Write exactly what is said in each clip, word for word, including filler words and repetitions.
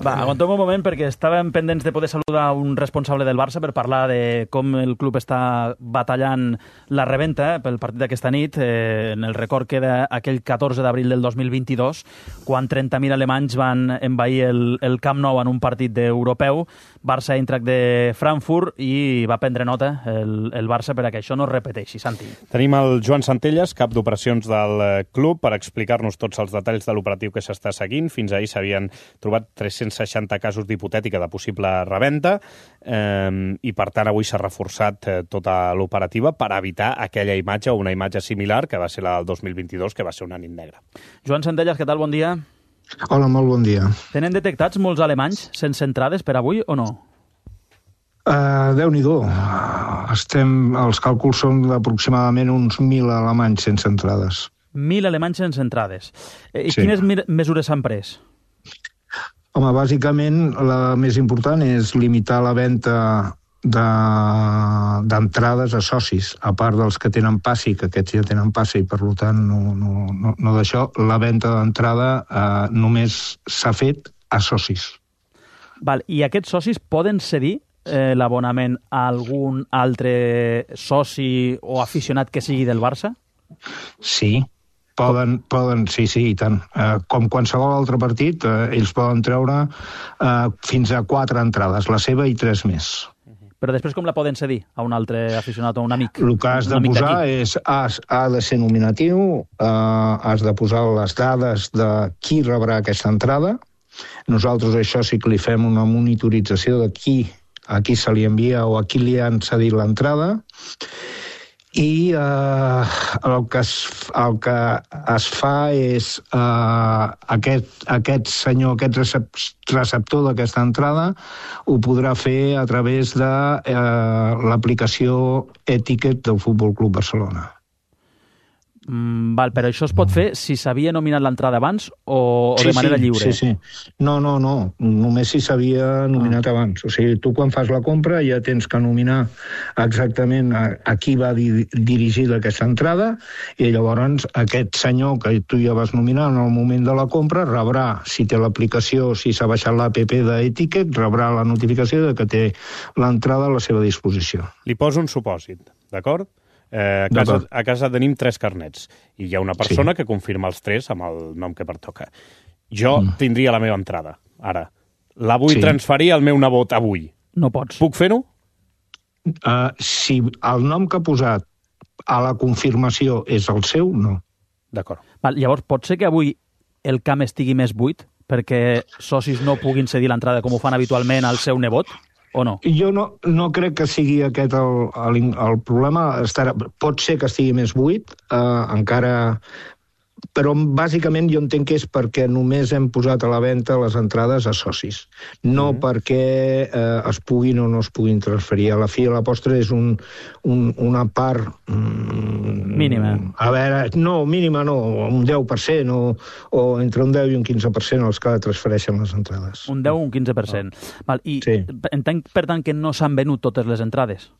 Va, aguantem un moment perquè estàvem pendents de poder saludar un responsable del Barça per parlar de com el club està batallant la reventa pel partit d'aquesta nit. Eh, en el record queda aquell catorze d'abril del dos mil vint-i-dos, quan trenta mil alemanys van envair el, el Camp Nou en un partit d'europeu, Barça-Eintracht de Frankfurt, i va prendre nota el, el Barça per a que això no es repeteixi. Santi. Tenim el Joan Centelles, cap d'operacions del club, per explicar-nos tots els detalls de l'operatiu que s'està seguint. Fins ahir s'havien trobat tres-cents seixanta casos d'hipotètica de possible reventa eh, i, per tant, avui s'ha reforçat eh, tota l'operativa per evitar aquella imatge o una imatge similar que va ser la del dos mil vint-i-dos, que va ser una nit negra. Joan Centelles, què tal? Bon dia. Hola, molt bon dia. Tenen detectats molts alemanys sense entrades per avui o no? Uh, Déu-n'hi-do. Estem, els càlculs són d'aproximadament uns mil alemanys sense entrades. Mil alemanys sense entrades. I Sí. quines mesures s'han pres? Home, bàsicament, la més important és limitar la venda d'entrades de, a socis, a part dels que tenen passi, que aquests ja tenen passi, i per tant no, no, no, no d'això. La venda d'entrada eh, només s'ha fet a socis. Val, i aquests socis poden cedir eh, l'abonament a algun altre soci o aficionat que sigui del Barça? Sí, poden, poden sí, sí, i tant. Eh, com qualsevol altre partit, eh, ells poden treure eh, fins a quatre entrades, la seva i tres més. Però després com la poden cedir a un altre aficionat o un amic? El que has de posar és, has, ha de ser nominatiu, eh, has de posar les dades de qui rebrà aquesta entrada. Nosaltres això sí que li fem una monitorització de qui, a qui se li envia o a qui li han cedit l'entrada. I eh, el, que es, el que es fa és eh, aquest, aquest senyor, aquest recep, receptor d'aquesta entrada ho podrà fer a través de eh, l'aplicació e-ticket del Futbol Club Barcelona. Mm, val, però això es pot fer si s'havia nominat l'entrada abans o, o Sí, de manera sí, lliure? Sí, sí. No, no, no. Només si s'havia nominat ah. abans. O sigui, tu quan fas la compra ja tens que nominar exactament a, a qui va di dirigir aquesta entrada i llavors aquest senyor que tu ja vas nominar en el moment de la compra rebrà, si té l'aplicació, si s'ha baixat l'app d'e-ticket, rebrà la notificació de que té l'entrada a la seva disposició. Li poso un supòsit, d'acord? Eh, a, casa, a casa tenim tres carnets i hi ha una persona sí. que confirma els tres amb el nom que pertoca. Jo mm. tindria la meva entrada, ara. La vull sí. transferir al meu nebot avui. No pots. Puc fer-ho? Uh, si el nom que ha posat a la confirmació és el seu, no. D'acord. Llavors, pot ser que avui el camp estigui més buit perquè socis no puguin cedir l'entrada com ho fan habitualment al seu nebot? O no? Jo no, no crec que sigui aquest el, el, el problema. Estarà, pot ser que estigui més buit, eh, encara... Però bàsicament jo entenc que és perquè només hem posat a la venda les entrades a socis. No mm-hmm. perquè eh, es puguin o no es puguin transferir. A la fi, a la postre és un, un, una part... Mm, mínima. A veure, no, mínima no, un deu per cent o, o entre un deu i un quinze per cent els que transfereixen les entrades. Un deu o un quinze per cent. Oh. Val, i sí. entenc, per tant, que no s'han venut totes les entrades?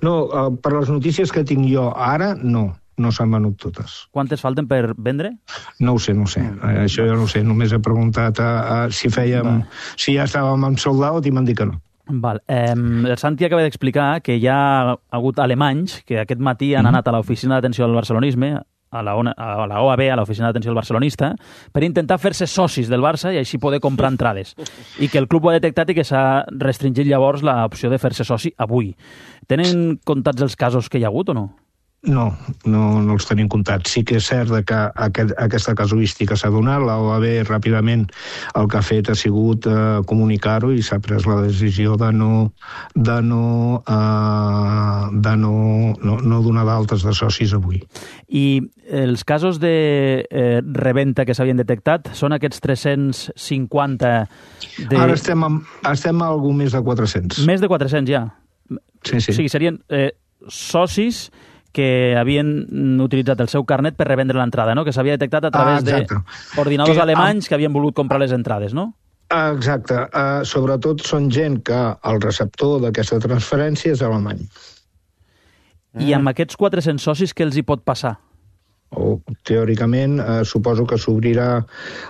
No, eh, per les notícies que tinc jo ara, no. No s'han venut totes. Quantes falten per vendre? No ho sé, no ho sé. Mm. Això jo no ho sé. Només he preguntat a, a, si fèiem... Va. Si ja estàvem amb sold out i m'han dit que no. Val. Eh, el Santi acaba d'explicar que hi ha hagut alemanys que aquest matí han mm. anat a l'oficina d'atenció al barcelonisme, a la, a la O A B, a l'oficina d'atenció al barcelonista, per intentar fer-se socis del Barça i així poder comprar entrades. I que el club ho ha detectat i que s'ha restringit llavors l'opció de fer-se soci avui. Tenen comptats els casos que hi ha hagut o no? No, no, no els tenim comptats. Sí que és cert que aquest, aquesta casuística s'ha donat, la O A B ràpidament el que ha fet ha sigut eh, comunicar-ho i s'ha pres la decisió de no, de no, eh, de no, no, no donar d'altes de socis avui. I els casos de eh, reventa que s'havien detectat són aquests tres-cents cinquanta... De... Ara estem a, estem a algú més de quatre-cents. Més de quatre-cents ja? Sí, sí. O sigui, serien eh, socis que havien utilitzat el seu carnet per revendre l'entrada, no? Que s'havia detectat a través ah, d'ordinadors alemanys que havien volut comprar les entrades, no? Exacte. Uh, sobretot són gent que el receptor d'aquesta transferència és alemany. I amb aquests quatre-cents socis què els hi pot passar? o teòricament eh, suposo que s'obrirà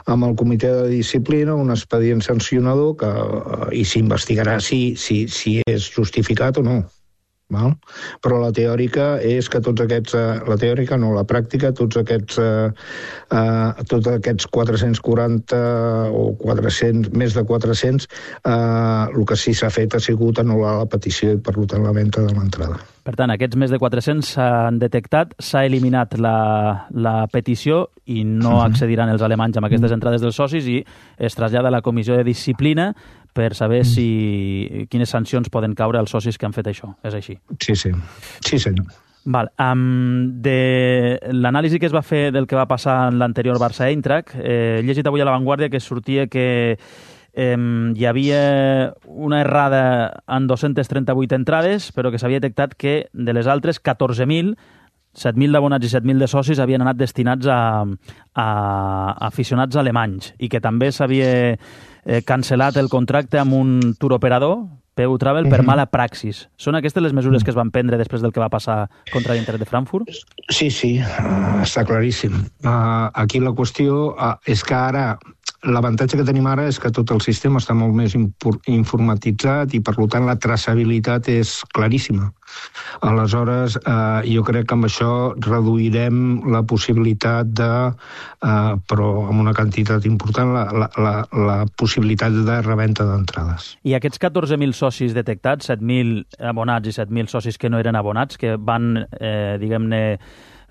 amb el comitè de disciplina un expedient sancionador que, eh, i s'investigarà si, si, si és justificat o no. Val? Però la teòrica és que tots aquests, eh, la teòrica no, la pràctica, tots aquests, eh, eh, tots aquests quatre-cents quaranta o quatre-cents, més de quatre-cents, eh, el que sí s'ha fet ha sigut anul·lar la petició i per tant la venda de l'entrada. Per tant, aquests més de quatre-cents s'han detectat, s'ha eliminat la, la petició i no uh-huh. accediran els alemanys amb aquestes entrades dels socis i es trasllada a la comissió de disciplina per saber si quines sancions poden caure als socis que han fet això. És així? Sí, sí. Sí, senyor. Val. Um, de l'anàlisi que es va fer del que va passar en l'anterior Barça-Eintracht, eh, he llegit avui a La Vanguardia que sortia que eh, hi havia una errada en dos-centes trenta-vuit entrades, però que s'havia detectat que de les altres catorze mil, set mil d'abonats i set mil de socis havien anat destinats a, a aficionats alemanys i que també s'havia eh, cancel·lat el contracte amb un touroperador, P U Travel, per mala praxis. Són aquestes les mesures que es van prendre després del que va passar contra l'Inter de Frankfurt? Sí, sí, uh, està claríssim. Uh, aquí la qüestió uh, és que ara l'avantatge que tenim ara és que tot el sistema està molt més informatitzat i, per tant, la traçabilitat és claríssima. Aleshores, eh, jo crec que amb això reduirem la possibilitat de, eh, però amb una quantitat important, la, la, la, la possibilitat de reventa d'entrades. I aquests catorze mil socis detectats, set mil abonats i set mil socis que no eren abonats, que van, eh, diguem-ne,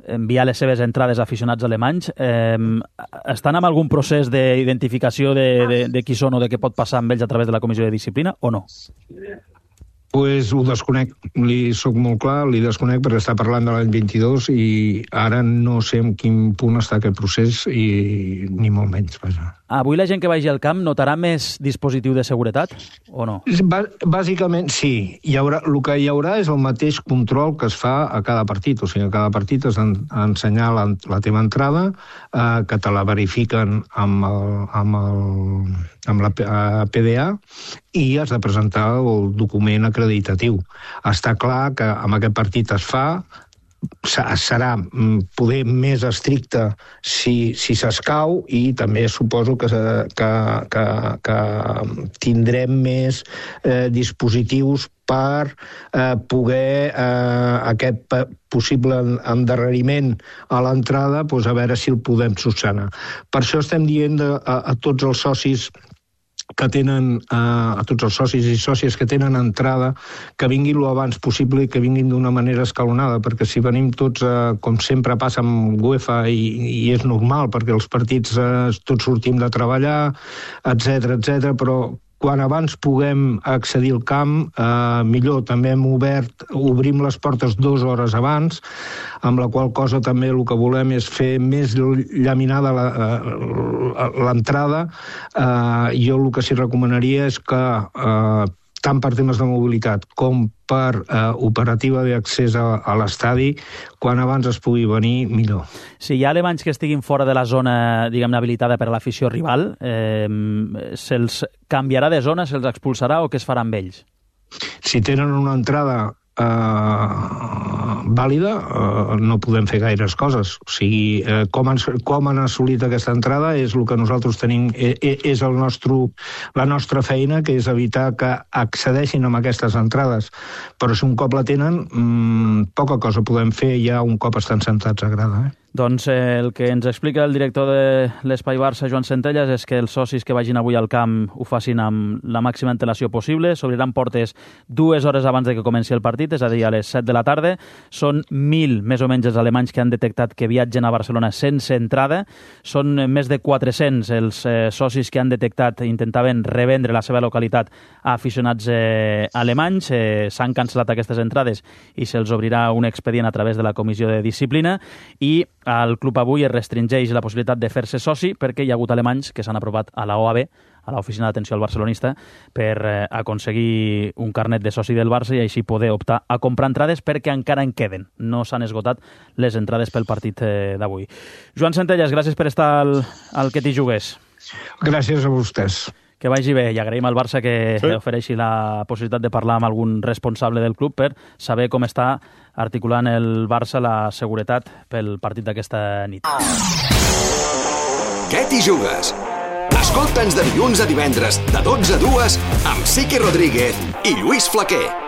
enviar les seves entrades a aficionats alemanys, eh, estan en algun procés d'identificació de, de, de qui són o de què pot passar amb ells a través de la comissió de disciplina o no? Pues ho desconec, li soc molt clar, li desconec perquè està parlant de l'any vint-i-dos i ara no sé en quin punt està aquest procés i ni molt menys, vaja. Avui la gent que vagi al camp notarà més dispositiu de seguretat o no? Bàsicament sí. Hi haurà, el que hi haurà és el mateix control que es fa a cada partit. O sigui, a cada partit has d'ensenyar la, la teva entrada, eh, que te la verifiquen amb, el, amb, el, amb la P D A i has de presentar el document acreditatiu. Està clar que amb aquest partit es fa, serà poder més estricte si, si s'escau i també suposo que, que, que, que tindrem més eh, dispositius per eh, poder eh, aquest possible endarreriment a l'entrada, doncs a veure si el podem solucionar. Per això estem dient de, a, a tots els socis que tenen, eh, a tots els socis i sòcies que tenen entrada, que vinguin lo abans possible i que vinguin d'una manera escalonada, perquè si venim tots, eh, com sempre passa amb UEFA, i, i és normal, perquè els partits eh, tots sortim de treballar, etcètera, etcètera, però quan abans puguem accedir al camp, eh, millor. També hem obert, obrim les portes dues hores abans, amb la qual cosa també el que volem és fer més llaminada l'entrada. Eh, jo el que sí recomanaria és que, eh, tant per temes de mobilitat com per eh, operativa d'accés a, a l'estadi, quan abans es pugui venir, millor. Si hi ha alemanys que estiguin fora de la zona, diguem-ne, habilitada per a l'afició rival, eh, se'ls canviarà de zona, se'ls expulsarà o què es farà amb ells? Si tenen una entrada Uh, vàlida, uh, no podem fer gaires coses. O sigui, uh, com, han, com han assolit aquesta entrada és el que nosaltres tenim, és, és el nostre, la nostra feina, que és evitar que accedeixin a aquestes entrades. Però si un cop la tenen, mmm, poca cosa podem fer ja un cop estan sentats a grada. Eh? Doncs eh, el que ens explica el director de l'Espai Barça, Joan Centelles, és que els socis que vagin avui al camp ho facin amb la màxima antelació possible. S'obriran portes dues hores abans de que comenci el partit, és a dir, a les set de la tarda. Són mil, més o menys, els alemanys que han detectat que viatgen a Barcelona sense entrada. Són més de quatre-cents els eh, socis que han detectat intentaven revendre la seva localitat a aficionats eh, alemanys. Eh, S'han cancel·lat aquestes entrades i se'ls obrirà un expedient a través de la comissió de disciplina i al club avui es restringeix la possibilitat de fer-se soci perquè hi ha hagut alemanys que s'han aprovat a la O A B, a l'Oficina d'Atenció al Barcelonista, per eh, aconseguir un carnet de soci del Barça i així poder optar a comprar entrades perquè encara en queden. No s'han esgotat les entrades pel partit eh, d'avui. Joan Centelles, gràcies per estar al, al Que t'hi jugues. Gràcies a vostès. que vagi bé, i agraïm al Barça que sí. ofereixi la possibilitat de parlar amb algun responsable del club per saber com està articulant el Barça la seguretat pel partit d'aquesta nit. Què t'hi jugues? Escolta'ns de dilluns a divendres, de dotze a dues, amb Siqui Rodríguez i Lluís Flaquer.